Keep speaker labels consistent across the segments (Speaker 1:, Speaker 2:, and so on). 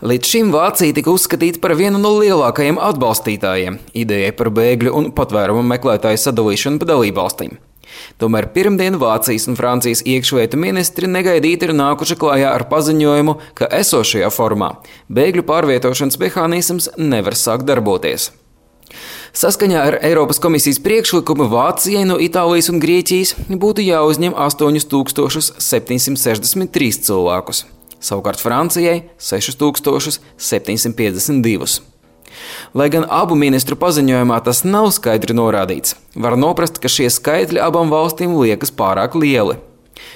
Speaker 1: Līdz šim Vācija tika uzskatīta par vienu no lielākajiem atbalstītājiem idejai par bēgļu un patvērumu meklētāju sadalīšanu pa dalībvalstīm. Tomēr pirmdien Vācijas un Francijas iekšlietu ministri negaidīti ir nākuši klājā ar paziņojumu, ka esošajā formā bēgļu pārvietošanas mehānisms nevar sākt darboties. Saskaņā ar Eiropas komisijas priekšlikumu Vācijai no Itālijas un Grieķijas būtu jāuzņem 8763 cilvēkus. Savukārt Francijai 6752. Lai gan abu ministru paziņojumā tas nav skaidri norādīts, var noprast, ka šie skaitļi abām valstīm liekas pārāk lieli.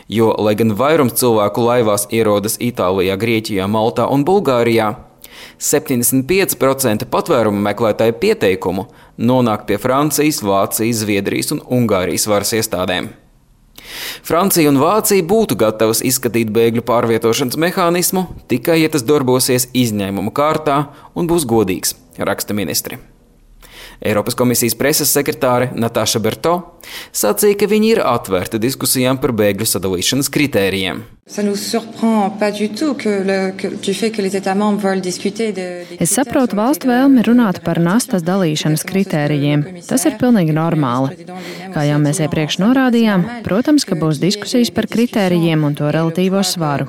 Speaker 1: Jo, lai gan vairums cilvēku laivās ierodas Itālijā, Grieķijā, Maltā un Bulgārijā, 75% patvērumu meklētāju pieteikumu nonāk pie Francijas, Vācijas, Zviedrijas un Ungārijas varas iestādēm. Francija un Vācija būtu gatavas izskatīt bēgļu pārvietošanas mehānismu, tikai ja tas darbosies izņēmuma kārtā un būs godīgs, raksta ministri. Eiropas komisijas preses sekretāre Natāša Berto sacīja, ka viņi ir atvērti diskusijām par bēgļu sadalīšanas kritērijiem.
Speaker 2: Es saprotu valstu vēlmi runāt par nastas dalīšanas kritērijiem. Tas ir pilnīgi normāli. Kā jau mēs iepriekš norādījām, protams, ka būs diskusijas par kritērijiem un to relatīvo svaru.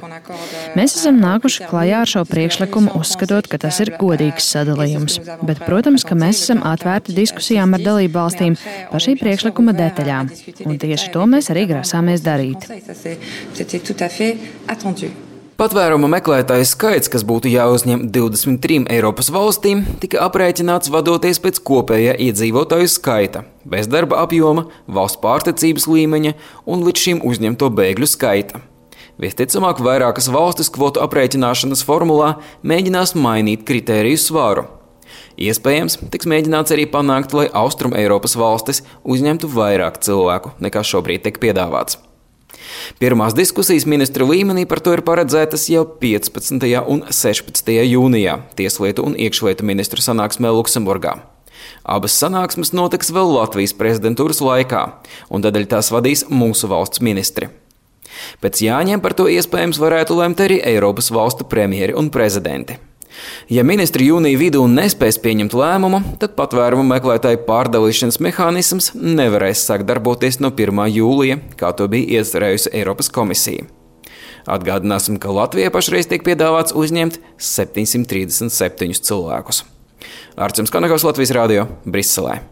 Speaker 2: Mēs esam nākuši klajā ar šo priekšlikumu, uzskatot, ka tas ir godīgs sadalījums. Bet, protams, ka mēs esam atvērti diskusijām ar dalībvalstīm par šī priekšlikuma detaļām. Un tieši to mēs arī grasāmies darīt.
Speaker 1: Patvērumu meklētāju skaits, kas būtu jāuzņem 23 Eiropas valstīm, tika aprēķināts vadoties pēc kopējā iedzīvotāju skaita, bezdarba apjoma, valsts pārticības līmeņa un līdz šim uzņemto bēgļu skaita. Visticamāk, vairākas valstis kvotu aprēķināšanas formulā mēģinās mainīt kritēriju svaru. Iespējams, tiks mēģināts arī panākt, lai Austrum Eiropas valstis uzņemtu vairāk cilvēku, nekā šobrīd tiek piedāvāts. Pirmās diskusijas ministru līmenī par to ir paredzētas jau 15. un 16. jūnijā Tieslietu un iekšlietu ministru sanāksmē Luksemburgā. Abas sanāksmes notiks vēl Latvijas prezidentūras laikā, un tādēļ tās vadīs mūsu valsts ministri. Pēc jāņem par to iespējams varētu lemt arī Eiropas valstu premjeri un prezidenti. Ja ministri jūnija vidū nespēs pieņemt lēmumu, tad patvērumu meklētāju pārdalīšanas mehānisms nevarēs sākt darboties no 1. jūlija, kā to bija iecerējusi Eiropas komisija. Atgādināsim, ka Latvijai pašreiz tiek piedāvāts uzņemt 737 cilvēkus. Arčuns Kanakovs, Latvijas radio, Briselē.